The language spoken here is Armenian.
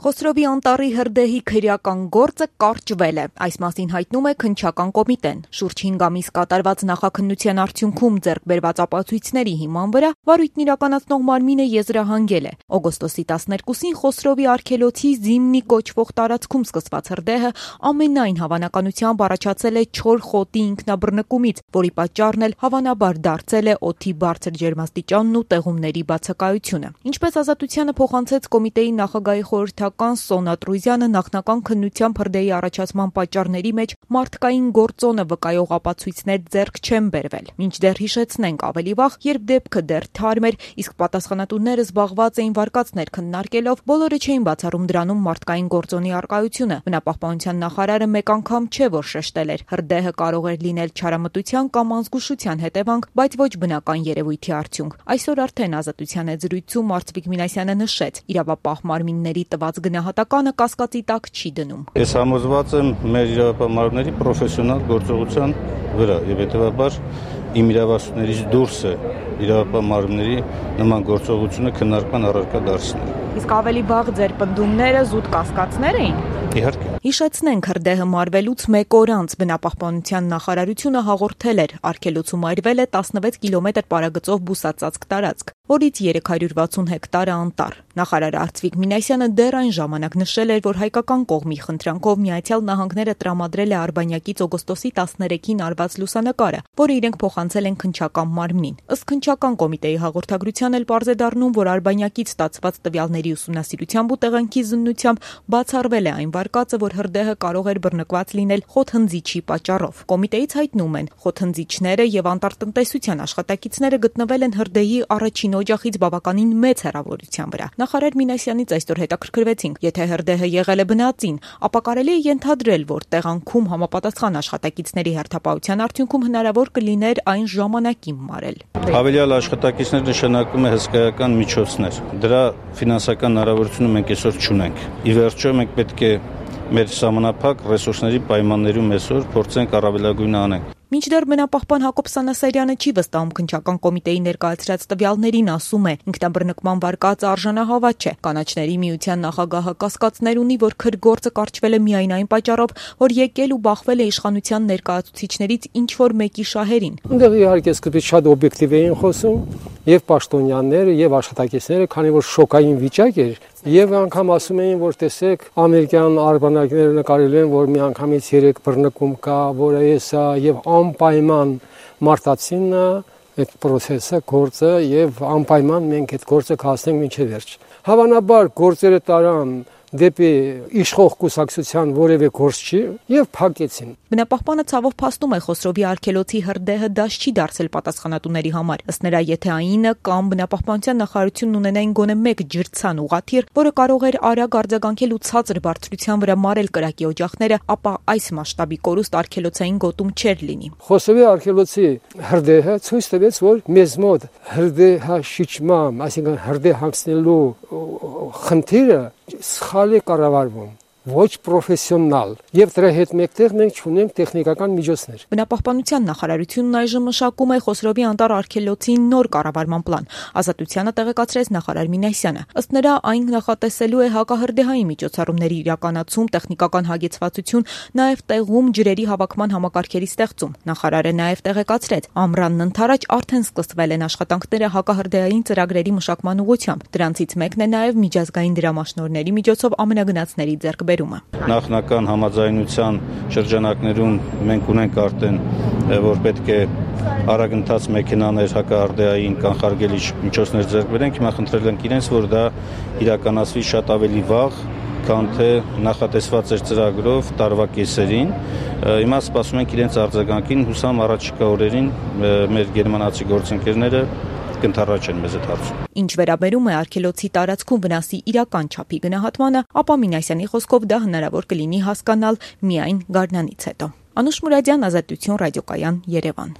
Խոսրովի անտառի հրդեհի քրեական գործը կարճվել է, այս մասին հայտնում է քննչական կոմիտեն։ Շուրջ 5 ամիս կատարված նախաքննության արդյունքում ձեռք բերված ապացույցների հիման վրա վարույթն իրականացնող մարմինը եզրահանգել է։ Օգոստոսի 12-ին Խոսրովի արգելոցի Զիմնի կոչվող տարածքում սկսված հրդեհը ամենայն հավանականությամբ առաջացել է չոր խոտի ինքնաբռնկումից, որի պատճառն էլ հավանաբար դարձել է օդի բարձր ջերմաստիճանն ու տեղումների բացակայությունը։ Ինչպես Ազատությանը փոխանցեց կոմիտեի նախագահի խորհրդական Սոնա Տրուզյանը, նախնական քննությամբ հրդեհի առաջացման պատճառների մեջ մարդկային գործոնը վկայող ապացույցներ ձեռք չեն բերվել։ Մինչդեռ հիշեցնենք ավելի վաղ, երբ դեպքը դեռ թարմ էր, իսկ պատասխանատուները զբաղված էին վարկածներ քննարկելով, բոլորը չէին բացառում դրանում մարդկային գործոնի առկայությունը։ Բնապահպանության նախարարը մեկ անգամ չէ, որ շեշտել էր, հրդեհը կարող էր լինել չարամտության կամ անզգուշության հետևանք, բայց ոչ բնական երևույթի արդյունք։ Այսօր արդեն Ազատության հետ զրույցում Արծվիկ Մինասյանը նշեց, իրավապահ մարմինների տված գնահատականը կասկածի տակ չի դնում։ Ես համոզված եմ մեր իրավապահ մարմինների պրոֆեսիոնալ գործողության վրա եւ հետեւաբար իմ իրավասություններից դուրս է իրավապահ մարմինների նման գործողությունը քննարկման առարկա դարձնել։ Իսկ ավելի վաղ ձեր պնդումները զուտ կասկածներ էին։ Իհարկե։ Հիշեցնենք, հրդեհը մարվելուց մեկ օր անց Բնապահպանության նախարարությունը հաղորդել էր, արգելոցում արվել է 16 կիլոմետր պարագծով բուսածածկ տարածք, որից 360 հեկտարը անտառ։ Նախարար Արծվիկ Մինասյանը դեռ այն ժամանակ նշել էր, որ հայկական կողմի խնդրանքով Միացյալ Նահանգները տրամադրել է Արբանյակից օգոստոսի 13-ին արված լուսանկարը, որը իրենք փոխանցել են քննչական մարմնին։ Ըստ քննչական կոմիտեի հաղորդագրության էլ պարզ է դառնում, որ Արբանյակից ստացված տվյալների ուսումնասիրությամբ ու տեղանքի զննությամբ բացառվել է այն վարկածը, որ հրդեհը կարող էր բռնկված լինել խոթհնձիչի պատճառով։ Կոմիտեից հայտնում են, խոթհնձիչները եւ անտառտնտեսության աշխատակիցները գտնվել են հրդեհի առաջին օջախից բավականին մեծ հեռավորության վրա։ Նախարար Մինասյանից այսօր հետաքրքրվեցինք, եթե հրդեհը եղել է բնածին, ապա կարելի է ենթադրել, որ տեղանքում համապատասխան աշխատակիցների հերթապահության արդյունքում հնարավոր կլիներ այն ժամանակին մարել։ Հավելյալ աշխատակիցներ նշանակում է հսկայական միջոցներ։ Դրա ֆինանսական հնարավորությունը մենք այսօր չունենք։ Ի վերջո մենք պետք է մեր սահմանափակ ռեսուրսների պայմաններում այսօր փորձենք առավելագույնը անենք։ Մինչդեռ բնապահպան Հակոբ Սանասարյանը չի վստահում քննչական կոմիտեի ներկայացրած տվյալներին, ասում է, ինքնաբռնկման վարկածը արժանահավատ չէ։ Կանաչների միության նախագահը կասկածներ ունի, որ քրգործը կարճվել է միայն այն պատճառով, որ եկել ու բախվել է իշխանության ներկայացուցիչներից ինչ որ մեկի շահերին։ Այնտեղ իհարկե սկզբից շատ օբյեկտիվ էին խոսում եւ պաշտոնյաները եւ աշխատակիցները, քանի որ շոկային վիճակ էր, եւ անգամ ասում էին, որ տեսեք, ամերիկյան արբանյակները նկարել են, որ մի անգամից 3 բռնկում կա, որը էսա եւ անպայման մարտացինը այդ process-ը, գործը եւ անպայման մենք այդ գործը կհասնենք մինչեւ վերջ։ Հավանաբար գործերը տարան դեպի իշխող կուսակցության որևէ գործ չի եւ փակեցին։ Բնապահպանը ցավով փաստում է Խոսրովի արգելոցի հրդեհը դաշ չի դարձել պատասխանատուների համար։ Ըստ նրա, եթե այնը կամ Բնապահպանության նախարարությունն ունենային գոնե մեկ ջրցան ուղղաթիռ, որը կարող էր արագ արձագանքել ու ցածր բարձրության վրա մարել կրակի օջախները, ապա այս մասշտաբի կորուստ արգելոցային գոտում չէր լինի։ Խոսրովի արգելոցի հրդեհը ցույց տվեց, որ մեզ մոտ հրդեհաշիճման, այսինքն հրդեհ հանգստելու խնդիրը սխալ է կառավարվում, ոչ պրոֆեսիոնալ, եւ դրա հետ մեկտեղ մենք ունենք տեխնիկական միջոցներ։ Բնապահպանության նախարարությունն այժմ մշակում է Խոսրովի անտառ արգելոցի նոր կառավարման պլան։ Ազատությանը տեղեկացրեց նախարար Մինասյանը։ Ըստ նրա, այն նախատեսելու է հակահրդեհային միջոցառումների իրականացում, տեխնիկական հագեցվածություն, նաեւ տեղում ջրերի հավաքման համակարգերի ստեղծում։ Նախարարը նաեւ տեղեկացրեց, ամռանն ընթരാճ արդեն սկսվել են աշխատանքները հակահրդեհային ծրագրերի մշակման ուղղությամբ։ Դրանցից մեկն է նաեւ միջազգային դրամաշնորհների միջոցով ամենագնացների ձեռքբերումը։ Նախնական համաձայնության շրջանակներում մենք ունենք արդեն, որ պետք է արագընթաց մեքենաներ հակահրդեհային կանխարգելիչ միջոցներ ձեռք բերենք, հիմա խնդրել ենք իրենց, որ դա իրականացվի շատ ավելի վաղ, քան թե նախատեսված էր ծրագրով տարվա կեսերին։ Հիմա սպասում ենք իրենց արձագանքին, հուսամ առաջիկա օրերին մեր գերմանացի գործընկերները կընթառաջեն մեզ այդ հարցում։ Ինչ վերաբերում է արգելոցի տարածքում վնասի իրական չափի գնահատմանը, ապա Մինասյանի խոսքով դա հնարավոր կլինի հասկանալ միայն գարնանից հետո։ Անուշ Մուրադյան, Ազատություն, ռադիոկայան, Երևան։